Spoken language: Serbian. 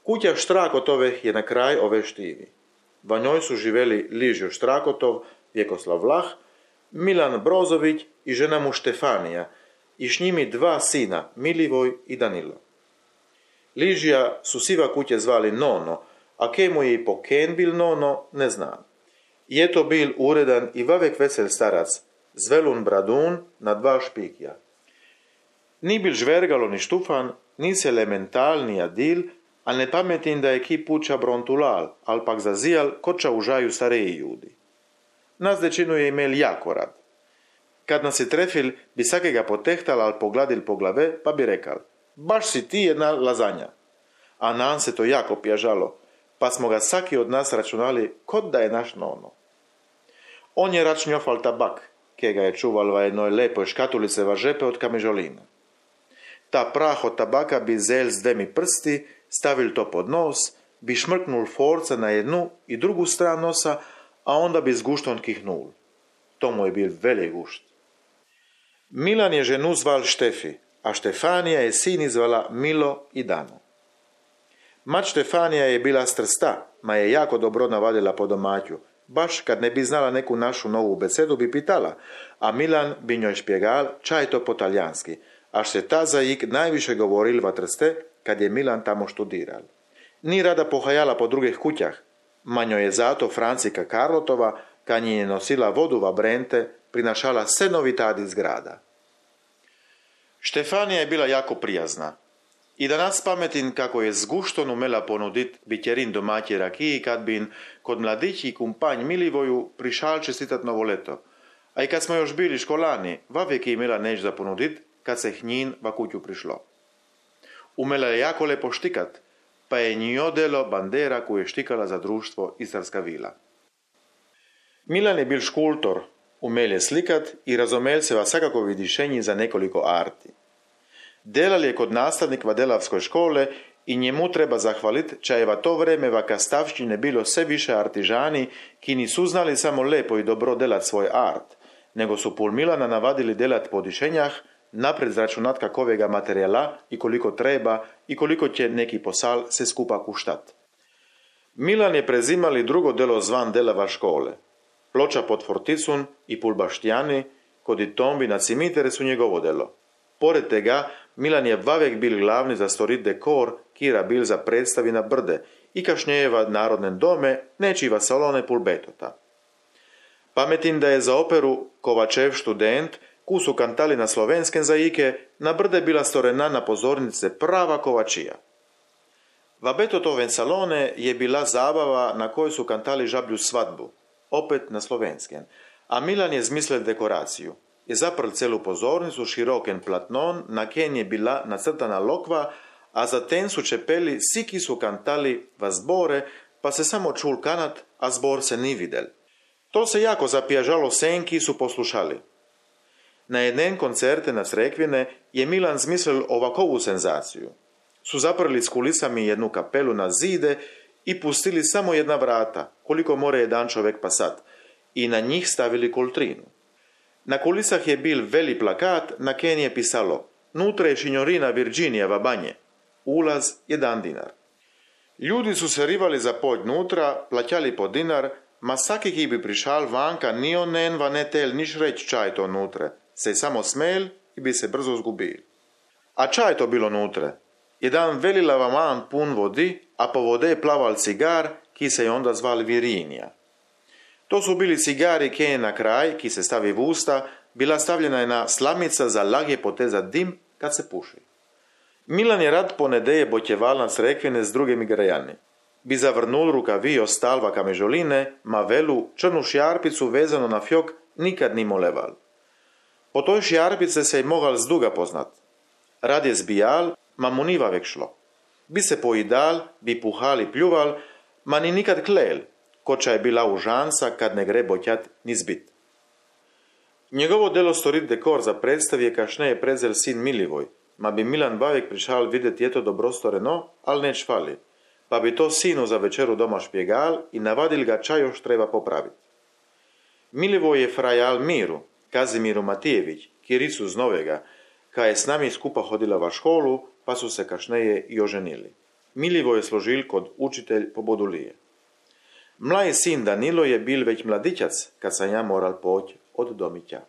Kuća Štrakotove je na kraj ove štivi. Va njoj su živeli Ližo Štrakotov, Vjekoslav Vlah, Milan Brozović i žena mu Štefanija i s njimi 2 sina, Milivoj i Danilo. Ližija su siva kuće zvali Nono, a kemu je i po ken bil Nono, ne znam. Je to bil uredan i vavek vesel starac, zvelun bradun na 2 špikja. Ni bil žvergalo ni štufan, ni se elemental ni adil, al ne pametin da je ki puča brontulal, al pak zazijal koča užaju stareji ljudi. Nas dečinu je imel jako rad. Kad nas je trefil, bi sakega potehtal al pogladil po glave, pa bi rekal, baš si ti jedna lazanja. A nam se to jako pjažalo, pa smo ga saki od nas računali kod da je naš Nono. On je rač njofal tabak, ke ga je čuval va jednoj lepoj škatulice va žepe od kamižolina. Ta prah od tabaka bi zel s 2 prsti, stavil to pod nos, bi šmrknul forca na jednu i drugu stranu nosa, a onda bi s guštom kihnul. To mu je bil veli gušt. Milan je ženu zval Štefi, a Štefanija je sin zvala Milo i Dano. Mat Štefanija je bila strsta, ma je jako dobro navadila po domaću. Baš kad ne bi znala neku našu novu besedu bi pitala, a Milan bi njoj špjegal čaj to po talijanski, až se ta zajik najviše govoril va Trste kad je Milan tamo študiral. Ni rada pohajala po drugih kućah, ma njoj je zato Francika Karlotova, kad nji je nosila vodu va Brente, prinašala sve novitadi iz grada. Štefanija je bila jako prijazna. I da nas pametin kako je s guštom umela ponudit bitjerin domaće rakiji kad bin kod mladići i kumpanj Milivoju prišal čestitat novo leto. A i kad smo još bili školani, vavijek je imela neć za ponudit kad se njin va kuću prišlo. Umela je jako lepo štikat, pa je nji odelo bandera koju je štikala za društvo Istarska vila. Milan je bil škultor, umel je slikat i razumel se va svakakovi dišenji za nekoliko arti. Delal je kod nastavnik va delavskoj škole i njemu treba zahvalit, ča je va to vreme va kastavšćine bilo sve više artižani, ki nisu znali samo lepo i dobro delat svoj art, nego su pul Milana navadili delat po dišenjah, napred zračunat kakovega materijala i koliko treba i koliko će neki posal se skupa kuštat. Milan je prezimali drugo delo zvan delava škole. Ploča pod forticun i pul baštijani, kod i tombi na cimitere su njegovo delo. Pored tega, Milan je vavek bil glavni za storit dekor, kira bil za predstavi na brde i kašnjeva narodne dome, nečiva salone pul betota. Pametin da je za operu Kovačev študent, ku su kantali na slovenskem zajike, na brde bila storena na pozornice prava kovačija. Va Betotoven salone je bila zabava na kojoj su kantali žablju svadbu, opet na slovenskem, a Milan je zmislil dekoraciju. Je zaprl celu pozornicu široken platnon, na ken je bila nacrtana lokva, a za ten su čepeli siki su kantali va zbore, pa se samo čul kanat, a zbor se ni videl. To se jako zapjažalo senki su poslušali. Na jeden koncerte na Srekvine je Milan zmislil ovakovu senzaciju. Su zaprli s kulisami jednu kapelu na zide i pustili samo jedna vrata, koliko more jedan čovek pasat, i na njih stavili koltrinu. Na kulisah je bil veli plakat, na ken je pisalo Nutra je šinjorina Virginija va banje. Ulaz 1 dinar. Ljudi su se rivali za pođ nutra, plaćali po dinar, ma saki ki bi prišal vanka ni onen va ne tel niš reć čaj to nutre, se samo smel i bi se brzo zgubil. A čaj to bilo nutre? Jedan veli lavaman pun vodi, a po vode je plaval cigar, ki se je onda zval Virinija. To su bili cigari ke na kraj, ki se stavi v usta, bila stavljena jedna slamica za lahje potezat dim kad se puši. Milan je rad ponedeje botjeval na Srekvine s drugimi grajani. Bi zavrnul rukavi ostalva kamežoline, ma velu črnu šjarpicu vezano na fjok nikad ni moleval. Po toj šjarpice se je mogal zduga poznat. Rad je zbijal, ma mu ni vavek šlo. Bi se poidal, bi puhal i pljuval, ma ni nikad klel, koča je bila užanca kad ne gre botjat ni zbit. Njegovo delo storit dekor za predstav je kašneje prezel sin Milivoj, ma bi Milan vavek prišal videti je to dobro storeno, al neč fali, pa bi to sinu za večeru doma špjegal i navadil ga čaj još treba popraviti. Milivoj je frajal Miru, Kazimiru Matijević, Kiricu z Novega, ka je s nami skupa hodila va školu, pa su se kašneje i oženili. Milivoje složil kod učitelj pobodulije. Mlaj sin Danilo je bil već mladićac, kad sam ja moral poći od domića.